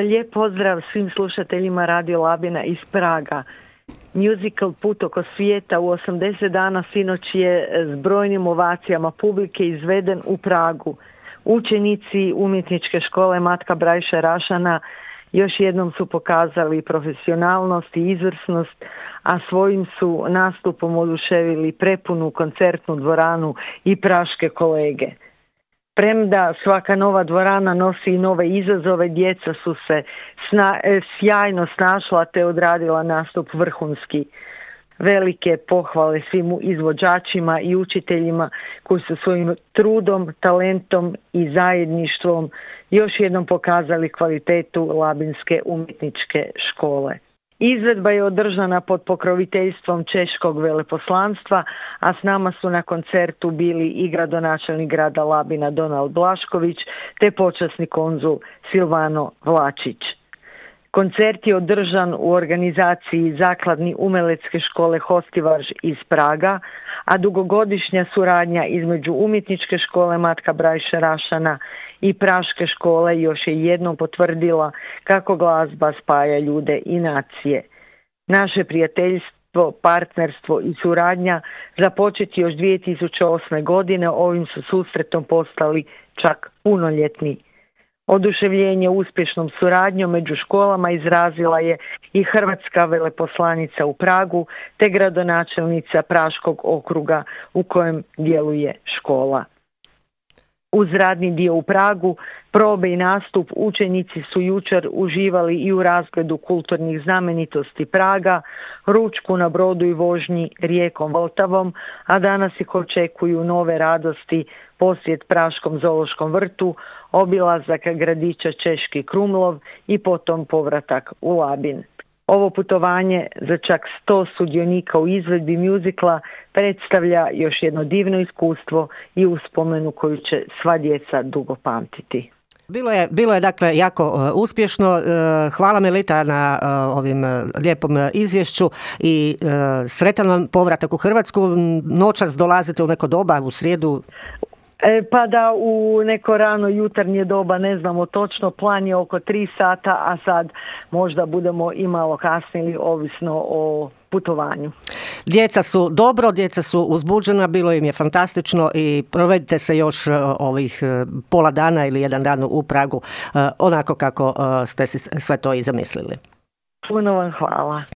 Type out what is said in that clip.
Lijep pozdrav svim slušateljima Radio Labina iz Praga. Musical Put oko svijeta u 80 dana sinoć je s brojnim ovacijama publike izveden u Pragu. Učenici umjetničke škole Matka Brajša Rašana još jednom su pokazali profesionalnost i izvrsnost, a svojim su nastupom oduševili prepunu koncertnu dvoranu i praške kolege. Premda svaka nova dvorana nosi i nove izazove, djeca su se sjajno snašla te odradila nastup vrhunski. Velike pohvale svim izvođačima i učiteljima koji su svojim trudom, talentom i zajedništvom još jednom pokazali kvalitetu Labinske umjetničke škole. Izvedba je održana pod pokroviteljstvom Češkog veleposlanstva, a s nama su na koncertu bili i gradonačelnik grada Labina Donald Blašković te počasni konzul Silvano Vlačić. Koncert je održan u organizaciji Zakladni umelecke škole Hostivaž iz Praga, a dugogodišnja suradnja između umjetničke škole Matka Brajša Rašana i praške škole još je jednom potvrdila kako glazba spaja ljude i nacije. Naše prijateljstvo, partnerstvo i suradnja započeti još 2008. godine ovim su susretom postali čak punoljetni. Oduševljenje uspješnom suradnjom među školama izrazila je i hrvatska veleposlanica u Pragu te gradonačelnica Praškog okruga u kojem djeluje škola. Uz radni dio u Pragu, probe i nastup, učenici su jučer uživali i u razgledu kulturnih znamenitosti Praga, ručku na brodu i vožnji rijekom Vltavom, a danas ih očekuju nove radosti, posjet Praškom zoološkom vrtu, obilazak gradića Češki Krumlov i potom povratak u Labin. Ovo putovanje za čak 100 sudionika u izvedbi mjuzikla predstavlja još jedno divno iskustvo i uspomenu koju će sva djeca dugo pamtiti. Bilo je dakle jako uspješno. Hvala Melita na ovim lijepom izvješću i sretan vam povratak u Hrvatsku. Noćas dolazite u neko doba, u srijedu? Pa da, u neko rano jutarnje doba, ne znamo točno, plan je oko 3 sata, a sad možda budemo i malo kasnili, ovisno o putovanju. Djeca su dobro, djeca su uzbuđena, bilo im je fantastično i provedite se još ovih pola dana ili jedan dan u Pragu onako kako ste si sve to i zamislili. Puno vam hvala.